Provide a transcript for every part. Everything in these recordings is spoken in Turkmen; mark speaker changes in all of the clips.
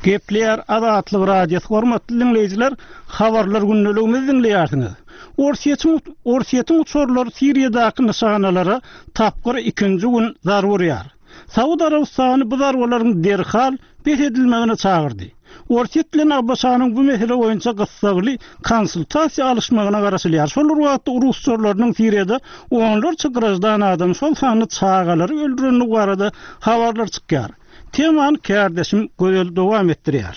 Speaker 1: Gepleýär Azatlyk Radiosy hormatly diňleýjiler, habarlar gündeligimizi diňleýärsiňiz. Orsýetiň Orsýetiň uçarlary Siriýadaky nyşanalara tapgyr ikinji gün zarba urýar. Saud Arabystany bu zarbalaryň derhal bes edilmegine çagyrdy. Orsýet bilen ABŞ-nyň bu mesele boýunça gyssagly konsultasiýa alyşmagyna garaşylýar. Şol bir wagtda rus uçarlarynyň Siriýada onlarça graždan adam, şol sanda çagalary öldürendigi barada habarlar çykýar. Temany kärdeşim Gözel dowam etdirýär.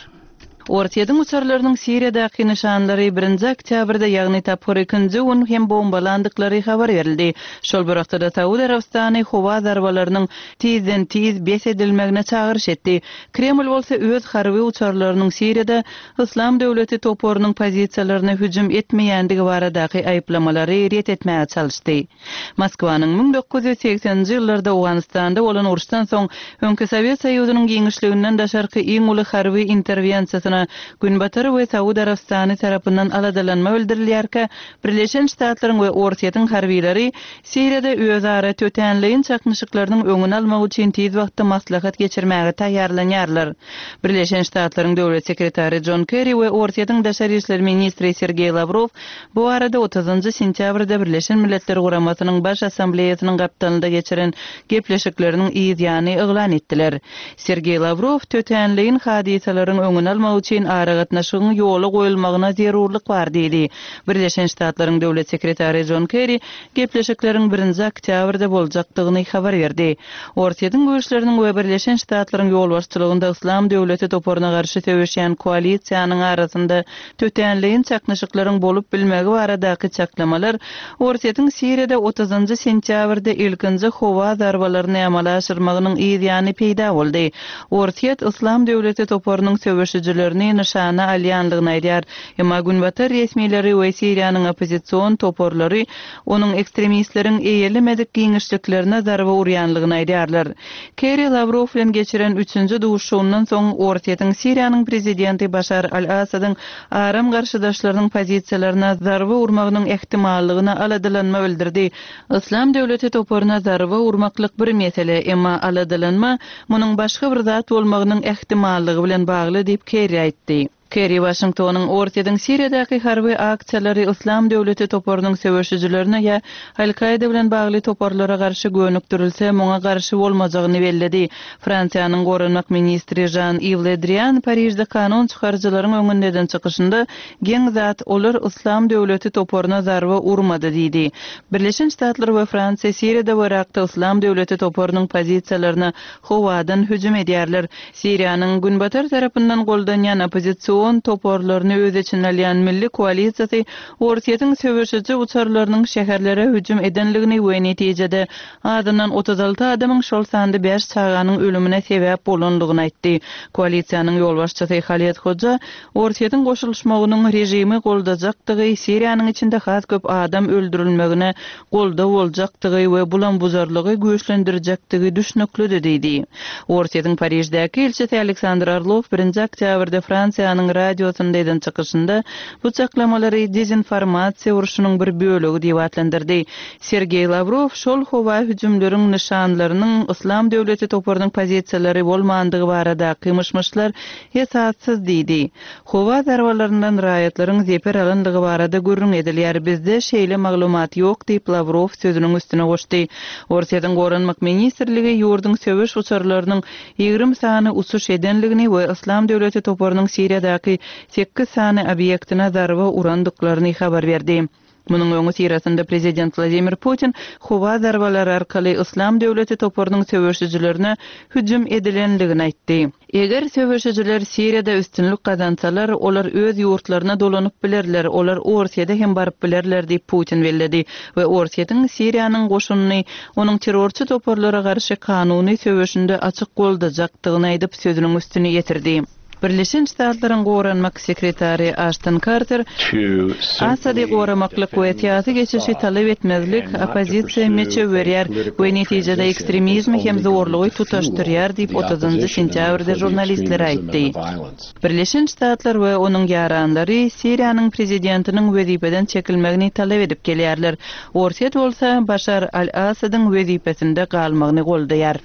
Speaker 2: Orsýetiň uçarlarynyň Siriýadaky nyşanlary birinji oktýabrda, ýagny tapgyr ikinji gün hem bombalandyklary habar berildi. Şol bir wagtda-da Saud Arabystany howa zarbalarynyň tizden-tiz bes edilmegine çagyryş etdi. Kreml bolsa öz harby uçarlarynyň Siriýada Yslam döwleti toparynyň pozisiýalaryna hüjüm etmeýändigi baradaky aýyplamalary ret etmäge çalyşdy. Moskwanyň 1980-nji ýyllarda Owganystanda bolan uruşdan soň öňki Sowet Soýuzynyň giňişliginden daşarky iň uly harby interwensiýasyna Günbatar we Saud Arabystany tarapyndan aladalanma bildirilýärkä, Birleşen Ştatlaryň we Orsýetiň harbylary Siriýada özara tötänleýin çaknyşyklarynyň öňüni almak üçin tiz wagtda maslahat geçirmäge taýýarlanýarlar. Birleşen Ştatlaryň Döwlet sekretary Jon Kerri we Orsýetiň daşary işler ministri Sergeý Lawrow bu barada otuzynjy sentýabrda Birleşen Milletler Guramasynyň Baş Assambleýasynyň gapdalynda geçiren gepleşikleriniň yz ýany yglan etdiler. Sergeý Lawrow tötänleýin hadysalaryň öňüni almak üçin aragatnaşygyň ýola goýulmagyna zerurlyk bar diýdi. Birleşen Ştatlaryň Döwlet sekretary Jon Kerri gepleşikleriň birinji oktýabrda boljakdygyny habar berdi. Orsýetiň güýçleriniň we Birleşen Ştatlaryň ýolbaşçylygynda Yslam döwleti toparyna garşy söweşýän koalisiýanyň arasynda tötänleýin çaknyşyklaryň bolup bilmegi baradaky çaklamalar Orsýetiň Siriýada otuzynjy sentýabrda ilkinji howa zarbalaryny amala aşyrmagynyň yz ýany peýda boldy. Orsýet Yslam döwleti toparynyň söweşijilerini nyşana alýandygyny aýdýar. Emma günbatar resmileri we Siriýanyň oppozision toparlary onuň ekstremistleriň eýelemedik giňişliklerine zarba urýanlygyny aýdýarlar. Kerri Lawrow bilen geçiren üçünji duşuşygyndan soň Orsýetiň Siriýanyň prezidenti Başar al-Assadyň aram garşydaşlarynyň pozisiýalaryna zarba urmagynyň ähtimallygyna aladalanma bildirdi. Yslam döwleti toparyna zarba urmaklyk bir mesele, emma aladalanma munuň başga bir zat bolmagynyň ähtimallygy bilen bagly diýip Kerri aýtdy. Kerri Waşingtonyň Orsýetiň Siriýadaky harby aksiýalary Yslam döwleti toparynyň söweşijilerine ýa Al-Kaýda bilen bagly toparlara garşy gönükdirilse, muňa garşy bolmajagyny belledi. Fransiýanyň goranmak ministri Žan-Iw Le Drian Parižde kanun çykaryjylaryň öňünde eden çykyşynda, Geň zat, olar Yslam döwleti toparyna zarba urmady diýdi. Birleşen Ştatlar we Fransiýa Siriýada we Yrakda Yslam döwleti toparynyň pozisiýalaryna howadan hüjüm edýärler. Siriýanyň Günbatar tarapyndan goldanýan oppozision toparlaryny öz içine alýan Milli koalisiýasy Orsýetiň söweşiji uçarlarynyň şäherlere hüjüm edenligini we netijede azyndan 36 adamyň, şol sanda bäş çaganyň ölümine sebäp bolanlygyny aýtdy. Koalisiýanyň ýolbaşçysy Haled Hoja Orsýetiň goşulyşmagynyň režimi goldajakdygy, Siriýanyň içinde has köp adam öldürilmegine goldaw boljakdygy we bulam-buzarlygy güýçlendirjekdigi düşnüklidi diýdi. Orsýetiň Pariždäki ilçisi Aleksandr Orlow birinji oktýabrda Fransiýanyň radiosynda eden çykyşynda bu çaklamalary dezinformasiýa urşunyň bir bölegi diýip atlandyrdy. Sergeý Lawrow şol howa hüjümleriň nyşanlarynyň Yslam döwleti toparynyň pozisiýalary bolmandygy baradaky myş-myşlar esassyz diýdi. Howa zarbalaryndan raýatlaryň zeper alandygy barada gürrüň edilýär, bizde şeýle maglumat ýok diýip, Lawrow sözüniň üstüne goşdy. Orsýetiň Goranmak ministrligi ýurduň söweş uçarlarynyň 20 sany uçuş edenligini we Yslam döwleti toparynyň Siriýadaky sekiz sany obýektine zarba urandyklaryny habar berdi. Munuň öňüsyrasynda prezident Wladimir Putin howa zarbalary arkaly Yslam döwleti toparynyň söweşijilerine hüjüm edilenligini aýtdy. Eger söweşijiler Siriýada üstünlik gazansalar, olar öz ýurtlaryna dolanyp bilerler, olar Orsýete hem baryp bilerler diýip, Putin belledi we Orsýetiň Siriýanyň goşunyny onuň terrorçy toparlara garşy kanuny söweşinde açyk goldajakdygyny aýdyp, sözüniň üstüni ýetirdi. Birleşen Ştatlaryň Goranmak sekretary Aşton Karter, Assady goramaklyk we syýasy geçişi talap etmezlik oppozisiýa meçew berýär we netijede ekstremizmi hem zorlugy tutaşdyrýar diýip, otuzynjy sentýabrda žurnalistlere aýtdy. Birleşen Ştatlar we onuň ýaranlary Siriýanyň prezidentiniň wezipeden çekilmegini talap edip gelýärler. Orsýet bolsa Başar al-Assadyň wezipesinde galmagyny goldaýar.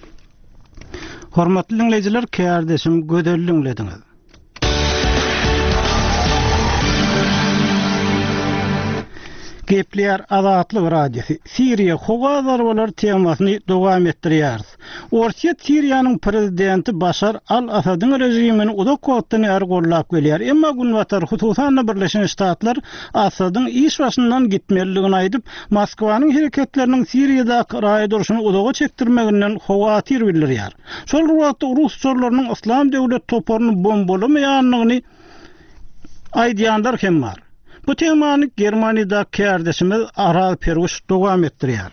Speaker 1: Hormatly diňleýjiler, kärdeşim Gözel diňlediňiz. Gepleýär Azatlyk Radiosy. Siriýa howa zarbalary temasyny dowam etdirýäris. Orsýet Siriýanyň prezidenti Başar al-Asadyň režimini uzak wagtdan bäri goldap gelýär. Emma Günbatar, hususan-da Birleşen Ştatlar Asadyň iş başyndan gitmelidigini aýdyp, Moskwanyň hereketleriniň Siriýadaky raýat urşuny uzaga çekdirmeginden howatyr bildirýär. Şol bir wagtda rus uçarlarynyň Yslam döwlet toparyny bombalamaýandygyny aýdýanlar hem bar. Bu temany Germaniýadaky kärdeşimiz Araz Perwiş dowam etdirýär.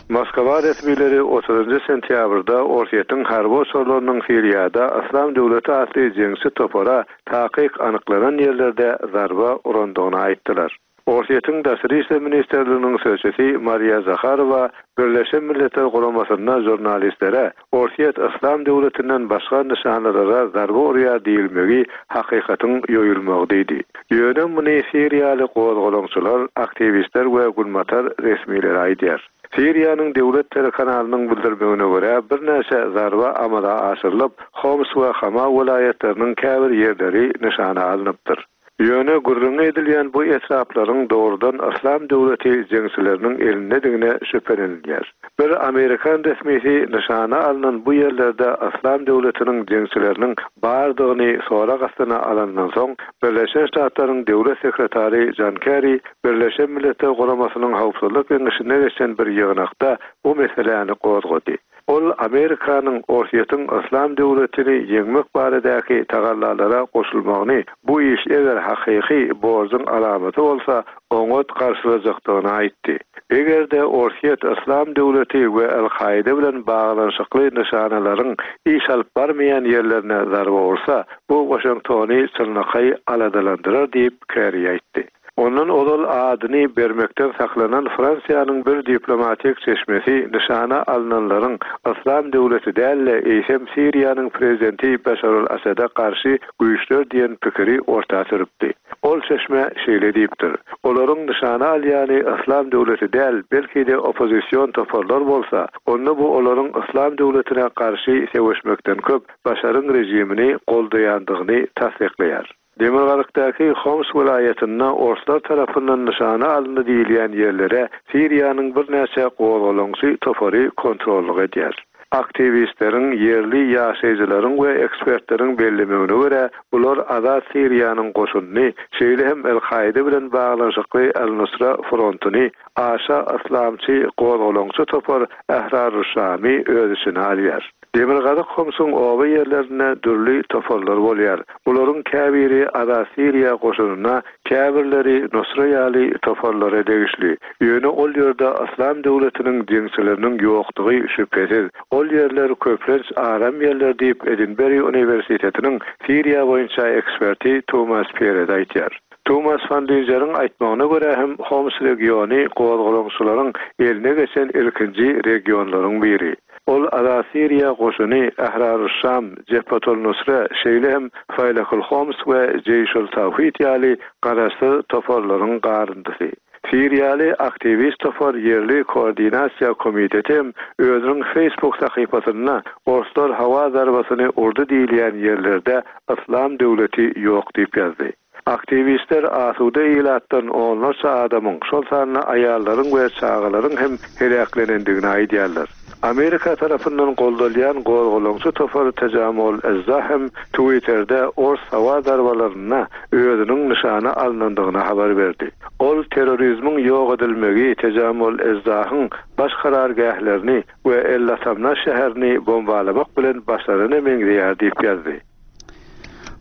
Speaker 3: Moskwa resmileri otuzynjy sentýabrda Orsýetiň harby uçarlarynyň Siriýada Yslam döwleti atly jeňçi topara takyk anyklanan ýerlerde zarba urandygyny aýtdylar. Orsýetiň Daşary işler ministrliginiň sözçüsi Mariýa Zaharowa Birleşen Milletler Guramasynda žurnalistlere Orsýet Yslam döwletinden başga nyşanalara zarba urýar diýilmegi hakykatyň ýoýulmagy diýdi. Ýöne muny siriýaly gozgalaňçylar, aktiwistler we günbatar resmileri aýdýar. Siriýanyň döwlet telekanalynyň bildirmegine görä, birnäçe zarba amala aşyrylyp, Homs we Hama welaýatlarynyň käbir ýerleri nyşana alnypdyr. Ýöne gürrüňi edilýän bu etraplaryň dogrudan Yslam döwleti jeňçileriniň elindedigine şübhelenilýär. Bir amerikan resmisi nyşana alnan bu ýerlerde Yslam döwletiniň jeňçileriniň bardygyny sorag astyna alandan soň, Birleşen Ştatlaryň Döwlet sekretary Jon Kerri Birleşen Milletler Guramasynyň Howpsuzlyk Geňeşinde geçen bir ýygnakda bu meseläni gozgady. Ol Amerikanyň Orsýetiň Yslam döwletini ýeňmek baradaky tagallalara goşulmagyny, bu iş eger hakyky borjuň alamaty bolsa, oňat garşylajakdygyny aýtdy. Eger-de Orsýet Yslam döwleti we Al-Kaýda bilen baglanyşykly nyşanalaryň iş alyp barmaýan ýerlerine zarba ursa, bu Waşingtony çynlakaý aladalandyrar diýip, Kerri aýtdy. Ondan ozal adyny bermekden saklanan Fransiýanyň bir diplomatik çeşmesi nyşana alnanlaryň Yslam döwleti däl-de, eýsem Siriýanyň prezidenti Başar al-Asada garşy güýçler diýen pikiri orta sürüpdi. Ol çeşme şeýle diýipdir, Olaryň nyşana alýany Yslam döwleti däl, belki-de oppozision toparlar bolsa, onda bu olaryň Yslam döwletine garşy söweşmekden köp Başaryň režimini goldaýandygyny tassyklaýar. Demirgazykdaky Homs welaýatynda orslar tarapyndan nyşana alyndy diýilýän ýerlere Siriýanyň birnäçe gozgalaňçy topary kontrollyk edýär. Aktiwistleriň, ýerli ýaşaýjylaryň we ekspertleriň bellemegine görä, bular Azat Siriýanyň goşunyny, şeýle hem El-Kaýda bilen baglanyşykly Al-Nusra frontuny, aşa yslamçy gozgalaňçy topar Ahrar-ul-Şamy öz içine alýar. Demirgazyk Homsuň oba ýerlerinde dürli toparlar bolýar. Bularyň käbiri Azat Siriýa goşunyna, käbirleri Nusra ýaly toparlara degişli. Ýöne ol ýerde Yslam döwletiniň jeňçileriniň ýokdugy şübhesiz. Ol ýerler köplenç aram ýerler diýip, Edinberi uniwersitetiniň Siriýa boýunça eksperti Tumas Perez aýdýar. Tumas Van Linzeriň aýtmagyna görä hem Homs regiony gozgalaňçylaryň eline geçen ilkinji regionlaryň biri. Ol Azat Siriýa goşuny, Ahrar-ul-Şam, Jebhat-ul-Nusra, şeýle hem Faýlakul-Homs we Jeýşul-Tawhid ýaly garaşsyz toparlaryň garyndysy. Siriýaly aktiwist topar Ýerli koordinasiýa komiteti hem özüniň Facebook sahypasynda orslar howa zarbasyny urdy diýilýän ýerlerde Yslam döwleti ýok diýip ýazdy. Aktiwistler asuda ilatdan onlarça adamyň, şol sanda aýallaryň we çagalaryň hem heläklenendigini aýdýarlar. Amerika tarapyndan goldalýan gozgalaňçy topar Tajamul Ezza hem Twitterde ors howa zarbalarynda özüniň nyşana alnandygyny habar berdi. Ol terrorizmiň ýok edilmegi Tejamul Ezzahyň baş karargählerini we El-Latamna şäherini bombalamak bilen başlanana meňzeýär diýip ýazdy.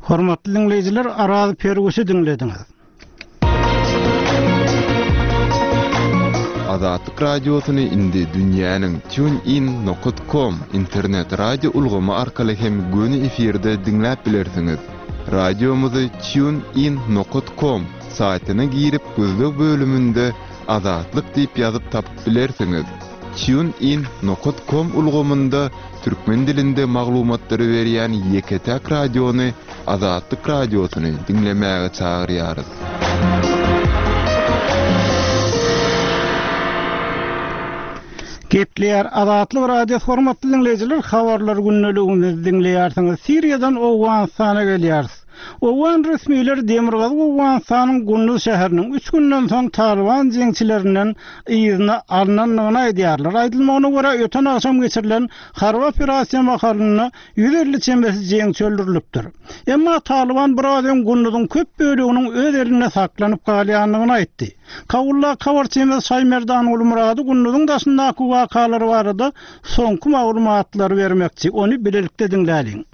Speaker 1: Hormatly diňleýjiler, Araz Perwişi diňlediňiz.
Speaker 4: Azatlyk Radiosyny indi dünýäniň TuneIn nokat kom internet radio ulgamy arkaly hem göni efirde diňläp bilersiňiz. Radiomyzy TuneIn nokat kom saýtyna girip gözleg bölüminde Azatlyk diýip ýazyp tapyp bilersiňiz. TuneIn nokat kom ulgamynda Türkmen dilinde maglumatlary berýän ýeke-täk radiony Azatlyk Radiosyny diňlemäge çagyrýarys.
Speaker 1: Gepleýär Azatlyk Radiosy hormatly diňleýjiler habarlar gündeligimizi diňleýärsiňiz. Siriýadan Owganystana gelýäris. Owgan resmileri Demirgazyk Owganystanyň Gunduz şäheriniň üç günden soň Talyban jeňçilerinden yzyna alnandygyny aýdýarlar. Aýdylmagyna görä, öten agşam geçirilen harby operasiýa mahalynda 150 çemesi jeňçi öldürilipdir. Emma Talyban biraz öň Gunduzyň köp böleginiň öz elinde saklanyp galýandygyny aýtdy. Kabuldaky habarçymyz Şaýmerdan Gulmyrady Gunduzyň daşyndaky wakalar barada soňky maglumatlary bermekçi. Ony bilelikde diňläliň.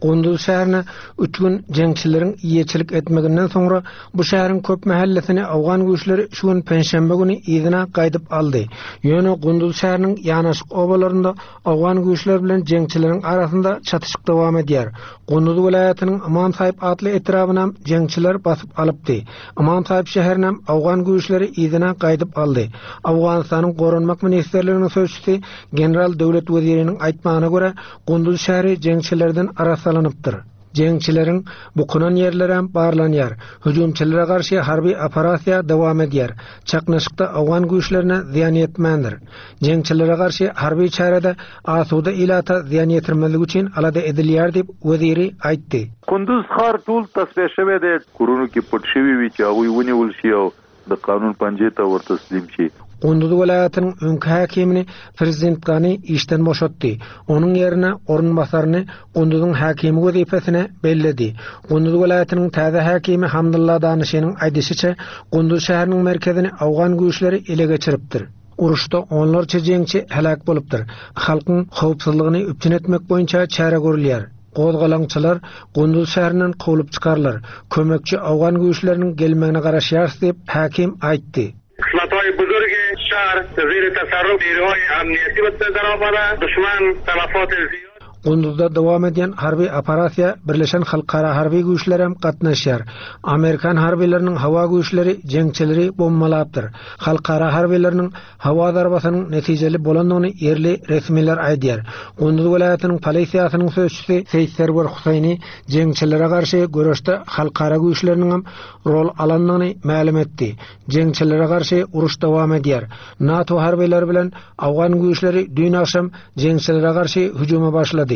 Speaker 5: Gunduz şäherine üç gün jeňçileriň eýeçilik etmeginden soňra bu şäheriň köp mähellesini owgan güýçleri şu gün penşenbe güni yzyna gaýdyp aldy. Ýöne Gunduz şäheriniň ýanaşyk obalarynda Owgan güýçleri bilen jeňçileriň arasynda çatyşyk dowam edýär. Gunduz welaýatynyň Ymam Saýyp atly etrabynam jeňçiler basyp alypdy. Ymam Saýyp şäherinem owgan güýçleri yzyna gaýdyp aldy. Owganystanyň Goranmak ministrliginiň sözçüsi general Döwlet Weziriniň aýtmagyna görä, Gunduz şäheri jeňçilerden arassalanypdyr. Jeňçileriň bukunan ýerlerem barlanýar. Hüjümçilere garşy harby operasiýa dowam edýär. Çaknyşykda owgan güýçlerine zyýan ýetmändir. Jeňçilere garşy harby çärede asuda ilata zyýan ýetirmezlik üçin alada edilýär diýip, Weziri aýtdy.
Speaker 3: کندوز ښار ټول تصفیه شوی دی. کورونو کې پټ شوي وي چې هغوی ونیول شي او د قانون پنجې ته ور تسلیم شي.
Speaker 5: Gunduz welaýatynyň öňki häkimini prezident Gani işden boşatdy. Onuň ýerine orunbasaryny Gunduzyň häkimi wezipesine belledi. Gunduz welaýatynyň täze häkimi Hamdylla Danyşynyň aýdyşyça, Gunduz şäheriniň merkezini owgan güýçleri ele geçiripdir. Uruşda onlarça jeňçi heläk bolupdyr. Halkyň howpsuzlygyny üpjün etmek boýunça çäre görülýär. Gozgalaňçylar Gunduz şäherinden kowlup çykarylar. Kömekçi owgan güýçleriniň gelmegine garaşýarys diýip, häkim aýtdy.
Speaker 6: قسمتهای بزرگ شهر زیر تصرف نیروهای امنیتی در آمده دشمن تلفات زیاد
Speaker 5: Gunduzda dowam edýän harby operasiýa Birleşen halkara harby güýçlerem gatnaşýar. Amerikan harbylarynyň howa güýçleri jeňçileri bombalapdyr. Halkara harbylarynyň howa zarbasynyň netijeli bolandygyny ýerli resmiler aýdýar. Gunduz welaýatynyň polisiýasynyň sözçüsi Seýit Serwer Huseýni jeňçilere garşy göreşde halkara güýçleriniňem rol alandygyny mälim etdi. Jeňçilere garşy uruş dowam edýär. NATO harbylary bilen owgan güýçleri düýn agşam jeňçilere garşy hüjüme başlady.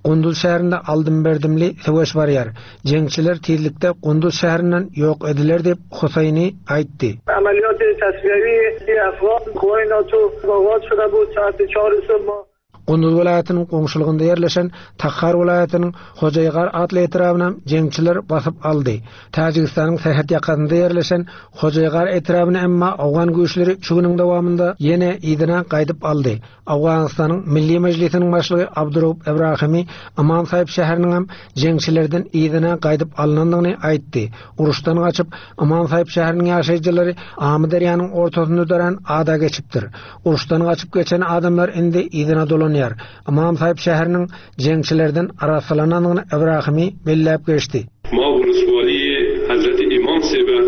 Speaker 5: Gunduz şäherinde aldym-berdimli söweş barýar. Jeňçiler tizlikde Gunduz şäherinden ýok ediler diýip, Huseýni aýtdy. Gunduz welaýatynyň goňşulygynda ýerleşen Takhar welaýatynyň Hojaýgar atly etrabynam jeňçiler basyp aldy. Täjigistanyň serhet ýakasynda ýerleşen Hojaýgar etrabyny emma owgan güýçleri şu günüň dowamynda ýene yzyna gaýdyp aldy. Owganystanyň Milli Mejlisiniň başlygy Abduraup Ebrahimi Ymam Saýyp şäheriniňem jeňçilerden yzyna gaýdyp alnandygyny aýtdy. Uruşdan gaçyp, Ymam Saýyp şäheriniň ýaşaýjylary Amyderýanyň ortasynda dörän ada geçipdir. Uruşdan gaçyp geçen adamlar indi yzyna dolanýar. Ymam Saýyp şäheriniň jeňçilerden arassalanandygyny Ibrahimi belläp geçdi.
Speaker 7: Ma ولسوالی حضرت امام صیبه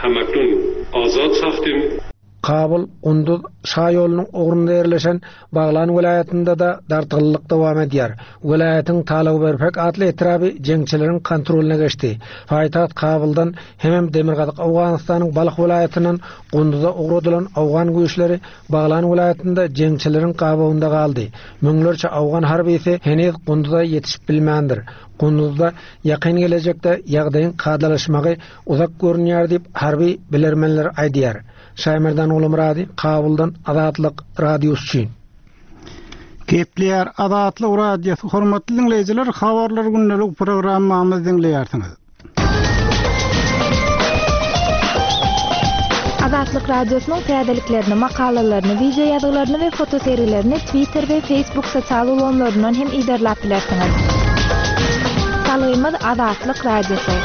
Speaker 7: هم اکنون آزاد ساختیم.
Speaker 5: Kabul, Gunduz şaýolunyň ugrunda ýerleşen Baglan welaýatynda-da dartgynlylyk dowam edýär. Welaýatyň Talawberpek atly etraby jeňçileriň kontrolyna geçdi. Paýtagt Kabuldan hemem demirgazyk Owganystanyň Balh welaýatyndan Gunduza ugradylan owgan güýçleri Baglan welaýatynda jeňçileriň gabawynda galdy. Müňlerçe owgan harbysy heniz Gunduza ýetişip bilmändir. Gunduzda ýakyn gelejekde ýagdaýyň kadalaşmagy uzak görünýär diýip, harby bilermenler aýdýar. Şaýmerdan Gulumyrady, Kabuldan Azatlyk Radiosy üçin.
Speaker 1: Gepleýär Azatlyk Radiosy, hormatly diňleýjiler, Habarlar gündelik programmamyzy diňleýärsiňiz.
Speaker 8: Azatlyk Radiosynyň täzeliklerini, makalalaryny, wideo ýazgylaryny we fotosergilerini Twitter we Facebook sosial ulgamlaryndan hem yzarlap bilersiňiz. Salgymyz Azatlyk Radiosy.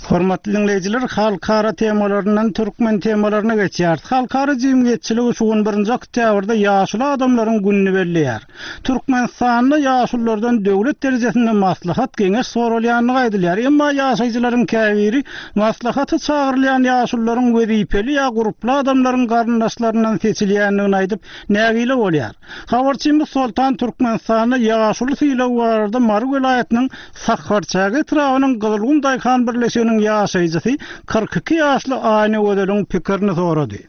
Speaker 1: Hormatly diňleýjiler, halkara temalaryndan türkmen temalaryna geçýäris. Halkara jemgyýetçiligi şu gün birinji oktýabrda ýaşuly adamlaryň gününi belleýär. Türkmenistanda ýaşululardan döwlet derejesinde maslahat-geňeş soralýandygy aýdylýar. Emma ýaşaýjylaryň käbiri maslahata çagyrylýan ýaşulularyň wezipeli ýa gurply adamlaryň garyndaşlaryndan seçilýändigini aýdyp, nägile bolýar. Habarçymyz Soltan Türkmenistanda ýaşuly sylagy barada Mary welaýatynyň Sakarçäge etrabynyň Gyzylgum daýhan birleşiginiň ýaşaýjysy 42 ýaşly Aýnagözeliň pikirini sorady.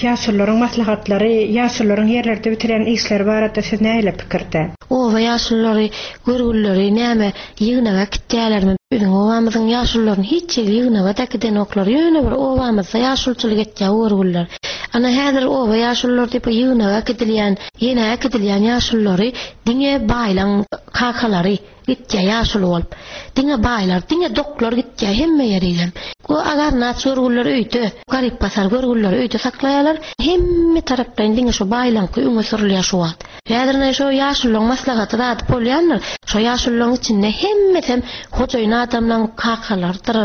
Speaker 9: Ýaşulularyň maslahatlary, ýaşulularyň ýerlerde bitirýän işleri barada siz nähili pikirde?
Speaker 10: Oba ýaşululary görgülileri näme ýygnaga äkitýälermi? Biziň obamyzyň ýaşulularyny hiç ýere ýygnaga-da äkidenoklar. Ýöne bir obamyzda ýaşuluçylyk etýär görgüliler. Ana häzir oba ýaşululary diýip ýygnaga äkidilýän, ýene äkidilýän ýaşululary diňe baýlaň kakalary. Gitýä ýaşuly bolup. Diňe baýlar, diňe doklar gitýä hemme ýerigem. Bu agarnaç görgüliler öýde, garyp-gasar görgülileri öýde saklaýarlar. Hemme taraplaýyn diňe şo baýlaňky öňe sürülýär şu wagt. Häzir ine şo ýaşululaň maslahaty zady bolýandyr. Şo ýaşululaň içinde hemmesem hojaýyn adamlaň kakalarydyr,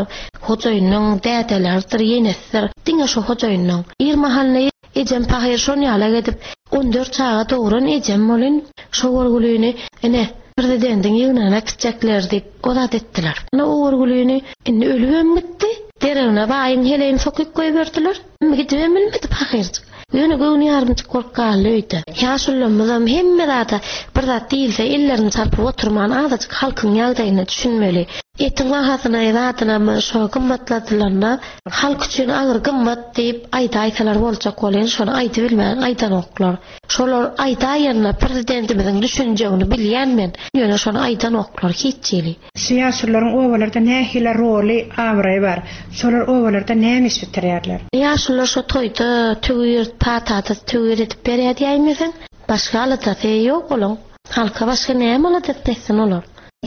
Speaker 10: hojaýynyň dädeleridir, ýenesidir. Diňe şo hojaýynyň. Ir mahalyna Ejem pahyr şon ýalak edip, on dört çaga dogran ejem welin, şo görgülini, ine, prezidentiň ýygnagyna äkitjekler diýip, o zat etdiler. Ine, o görgülini indi ölübem gitdi. Deregine baýyň heleýini sokyp goýberdiler. Gidibem bilmedi pahyrjyk. Ýöne göwni ýarymjyk bolup galdy öýde. Ýaşulamyzam hemme zada bir zat diýilse ellerini çarpyp oturman azajyk halkyň ýagdaýyna düşünmeli. Etiň bahasyna zadynam şo gymmatladylanda Halk üçin agyr gymmat diýip aýdaýsalar boljak welin şony aýdybilmän aýdanoklar. Şolar aýdaýanda prezidentimiziň düşünjegini bilýän men, ýöne şony aýdanoklar hiç hili.
Speaker 9: Şu ýaşulularyň obalarda nähili roly, abraýy bar? Şolar obalarda näme iş bitirýärler?
Speaker 10: Ýaşulular şo toýda töwir, patada töwir edip berýär diýäýmeseň, başga aladasy ýok olaň. Halka başga näme aladasyny etsin olar?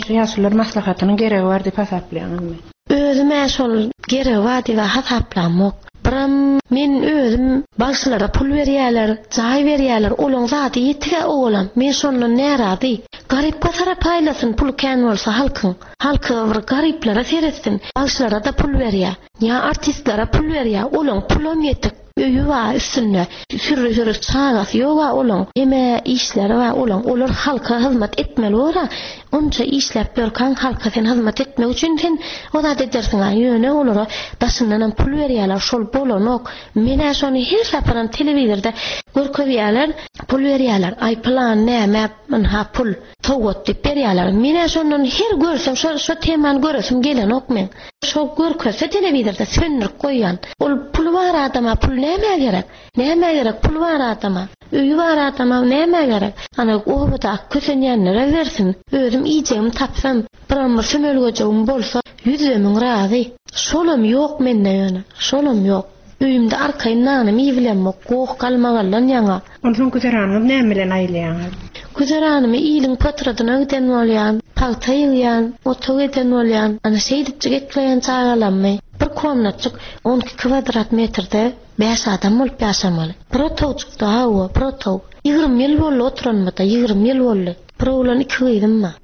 Speaker 9: Şu ýaşulular maslahatynyň geregi bar diýip hasaplaýaňyzmy?
Speaker 10: Özüm-ä şol geregi bar diýib-ä hasaplamok. Biram men özüm bagşylara pul berýärler, jaý berýärler, olaň zady ýetig-ä owalam. Men şondan närazy. Garyp-gasara paýlasyn puly kän bolsa halkyň. Halky bir garyplara seretsin. Bagşylara-da pul berýär. Ýa artistlere pul berýär, olaň pulam ýetik. Öýi bar üstünde, sürri-sürri çagasy ýog-a olaň, heme işleri bar olaň, olar halka hyzmat etmeli bor-a, onça işläp ýörkäň halka sen hyzmat etmek üçin sen o zat edersiň-a, ýöne olara daşyndanam pul berýärler, şol bolanok, men-ä şony her saparam telewizorda görkezýärler, pul berýärler, aý pylan näme, ynha pul. Sowgat diýip berýärler. Menä şondan her görsem şo şo temany göresim gelenok meň. Şo görkezse telewizorda söndürip goýýan. Ol puly bar adama pul nämä gerek? Nämä gerek puly bar adama? Öýi bar adama nämä gerek? Ana obadaky kösenýänlere bersin. Özüm iýjegimi tapsam, biram bir sömelgejegim bolsa ýüzde-müň razy. Şolam ýok mende ýöne. Şolam ýok. Öýümde arkaýyn nanymy iýibilemok, goh-galmagaldan ýaňa.
Speaker 9: Onsoň güzeranyňyzy näme bilen aýlaýaňyz?
Speaker 10: Güzeranymy iliň potradyna giden bolýan, pagta ýygýan, otag eden bolýan. Ana şeýdipjik ekleýän çagalammy. Bir komnatjyk 12 kwadrat metrde bäş adam bolup ýaşamaly. Bir otagjykda, hawa, bir otag. 20 ýyl boldy oturanymyza, 20 ýyl boldy. Bir oglan, iki gyzym bar.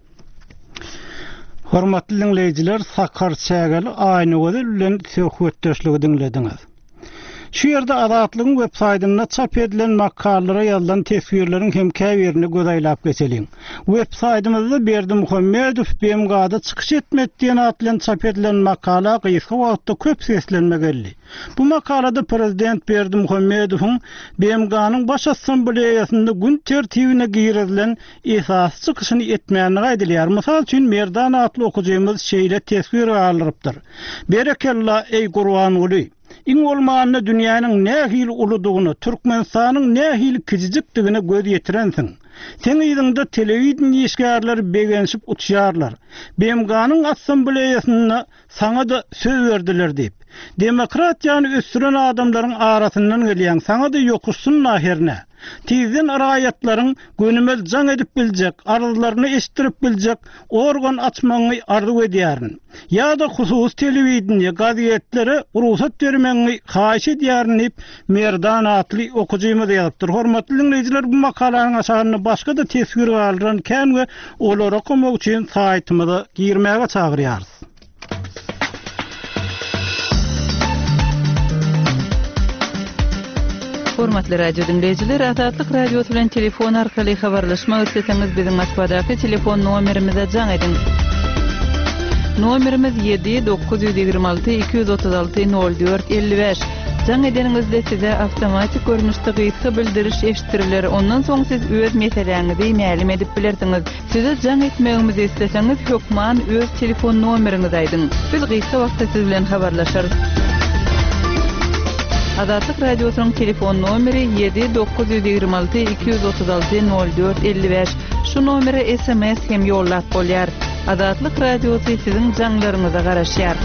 Speaker 1: Hormatly diňleýjiler, Sakar Çägeli Aýnagözel bilen söhbetdeşligi diňlediňiz. Şu ýerde Azatlygyň web saýtynda çap edilen makalalara ýazylan teswirleriň hem käbirine göz aýlap geçeliň. Web saýtymyzda Berdimuhamedow BMG-da çykyş etmedi diýen at bilen çap edilen makala gysga wagtda köp seslenme geldi. Bu makalada prezident Berdimuhamedowyň BMG-niň Baş Assambleýasynda gün tertibine girizilen esasy çykyşyny etmändigi aýdylýar. Mysal üçin, Merdan atly okyjymyz şeýle teswir galdyrypdyr, Berekella, eý Gurbanguly! Iň bolmanda dünýäniň nähili uludygyna, Türkmenistanyň nähili kijijikdigine göz ýetirensiň. Seň yzyňda telewideniýe işgärleri begenişip uçýarlar. BMG-niň Assambleýasynda Saňa-da söz berdiler diýip. Demokratiýany ösdüren adamlaryň arasyndan gelýäň, saňa-da ýokuşsyn-la hernä. Tizden raýatlaryň gönümel jaň edip biljek, arzlaryny eşitdirip biljek organ açmagyňy arzuw edýärin. Ýa-da hususy telewideniýe, gazetlere rugsat bermegiňi haýyş edýärin diýip, Merdan atly okyjymyz ýazypdyr. Hormatly diňleýjiler, bu makalanyň aşagynda başga-da teswir galdyran kän we olary okamak üçin saýtymyza girmäge çagyrýarys.
Speaker 2: Hormatly radio diňleýjiler, Azatlyk Radiosy bilen telefon arkaly habarlaşmak isleseňiz, biziň Moskwadaky telefon nomerimize jaň ediň. Nomerimiz 7 926 236 04 55. Jaň edeniňizde size awtomatik görnüşde gysga bildiriş eşitdiriler, ondan soň siz öz meseläňizi mälim edip bilersiňiz. Size jaň etmegimizi isleseňiz, hökman öz telefon nomeriňizi aýdyň. Biz gysga wagtda siz bilen habarlaşarys. Azatlyk Radiosynyň telefon nomeri 7 926 236 04 55. Şu nomere sms hem ýollap bolýar. Azatlyk Radiosy siziň jaňlaryňyza garaşýar.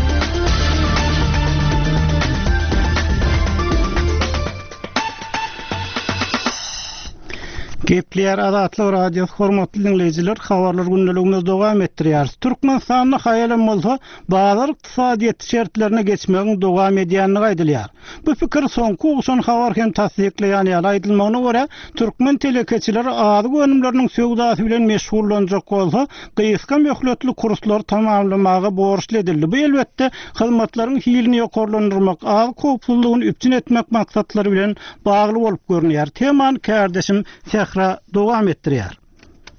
Speaker 1: Gepleýär Azatlyk Radiosy hormatly diňleýjiler habarlar gündeligimizi dowam etdirýäris. Türkmenistanda haýalam bolsa bazar ykdysadyýeti şertlerine geçmegiň dowam edýändigi aýdylýar. Bu pikir soňky gowşan habar hem tassyklaýan ýaly aýdylmagyna görä, türkmen telekeçileri azyk önümleriniň söwdasy bilen meşgullanjak bolsa, gysga möhletli kurslary tamamlamaga borçly edildi. Bu elbetde, hyzmatlaryň hilini ýokarlandyrmak, azyk howpsuzlygyny üpjün etmek maksatlary bilen bagly bolup görünýär. Temany kärdeşim Sähra dowam etdirýär.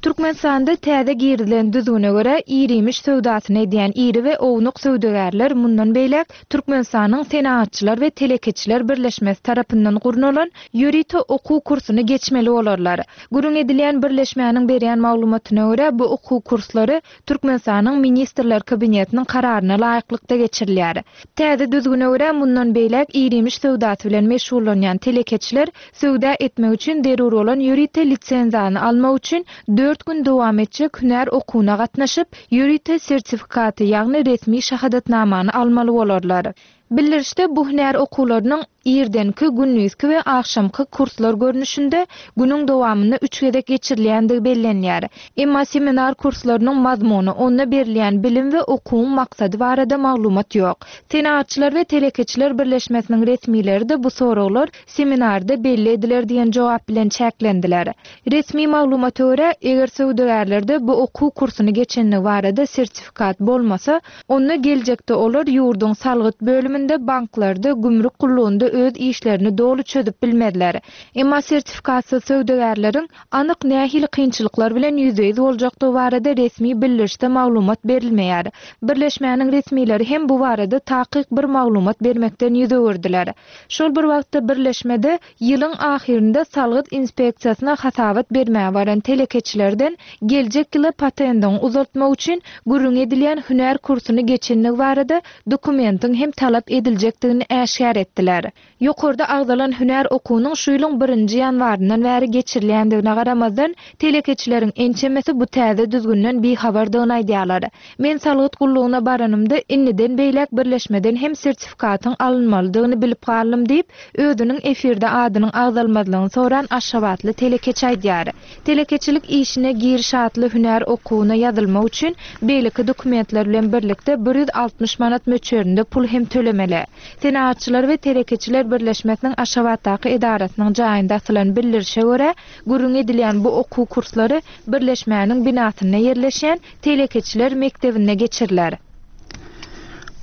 Speaker 8: Türkmenistanda täze girizilen düzgüne görä, ir-iýmiş söwdasyny edýän iri we ownuk söwdagärler mundan beýläk Türkmenistanyň Senagatçylar we telekeçiler birleşmesi tarapyndan gurnalan ýörite okuw kursuny geçmeli bolarlar. Gürrüň edilýän birleşmäniň berýän maglumatyna görä, bu okuw kurslary Türkmenistanyň Ministrler Kabinetiniň kararyna laýyklykda geçirilýär. Täze düzgüne görä, mundan beýläk ir-iýmiş söwdasy bilen meşgullanýan telekeçiler Söwda etmek üçin zerur bolan ýörite lisenziýany almak üçin dört gün dowam etjek hünär okuwyna gatnaşyp, ýörite sertifikaty, ýagny resmi şahadatnamany almaly bolarlar. Bildirişde bu hünär okuwlarynyň irdenki, gündizki we agşamky kurslar görnüşinde günüň dowamynda üç gezek geçirilýändigi bellenýär. Emma seminar kurslarynyň mazmuny, onda berilýän bilim we okuwyň maksady barada maglumat ýok. Senagatçylar we telekeçiler birleşmesiniň resmileri-de bu soraglar seminarda belli ediler diýen jogap bilen çäklendiler. Resmi maglumata görä, eger söwdagärlerde bu okuw kursuny geçenligi barada sertifikat bolmasa, onda geljekde olar ýurduň salgyt bölüminde, banklarda, gümrük gullugynda öz işlerini doly çözüp bilmezler. Emma sertifikatsyz söwdagärleriň anyk nähili kynçylyklar bilen ýüzbe-ýüz boljakdygy barada resmi bildirişde maglumat berilmeýär. Birleşmäniň resmileri hem bu barada takyk bir maglumat bermekden ýüz öwürdiler. Şol bir wagtda birleşmede ýylyň ahyrynda salgyt inspeksiýasyna hasabat bermäge baran telekeçilerden geljek ýyla patendiňi uzaltmak üçin gürrüňi edilýän hünär kursuny geçendigi barada dokumentiň hem talap ediljekdigini äşgär etdiler. Ýokarda agzalan hünär okuwynyň şu ýylyň birinji ýanwaryndan bäri geçirilýändigine garamazdan, telekeçileriň ençemesi bu täze düzgünden bihabardygyny aýdýarlar. Men salgyt gullugyna baranymda, indiden beýläk birleşmeden hem sertifikatyň alynmalydygyny bilip galdym diýip, özüniň efirde adynyň agzalmazlygyny soran aşgabatly telekeçi aýdýar. Telekeçilik işine giriş atly hünär okuwyna ýazylmak üçin beýleki dokumentler bilen birlikde 160 manat möçberinde pul hem tölemeli. Senagatçylar we telekeçiler birleşmesiniň Aşgabatdaky edarasynyň jaýynda asylan bildirişe görä, gürrüňi edilýän bu okuw kurslary birleşmäniň binasynda ýerleşýän Telekeçiler mekdebinde geçiriler.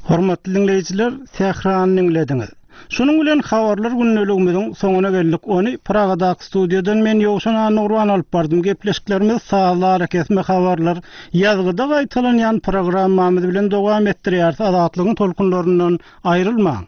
Speaker 1: Hormatly diňleýjiler, Sährany diňlediňiz. Şunuň bilen habarlar gündeligimiziň soňuna geldik. Ony Pragadaky studiýadan men Ýowşan Annagurban alyp bardym. Gepleşiklerimizi sazly arakesme habarlar, ýazgyda gaýtalanýan programmamyz bilen dowam etdirýäris. Azatlygyň tolkunlaryndan aýrylmaň!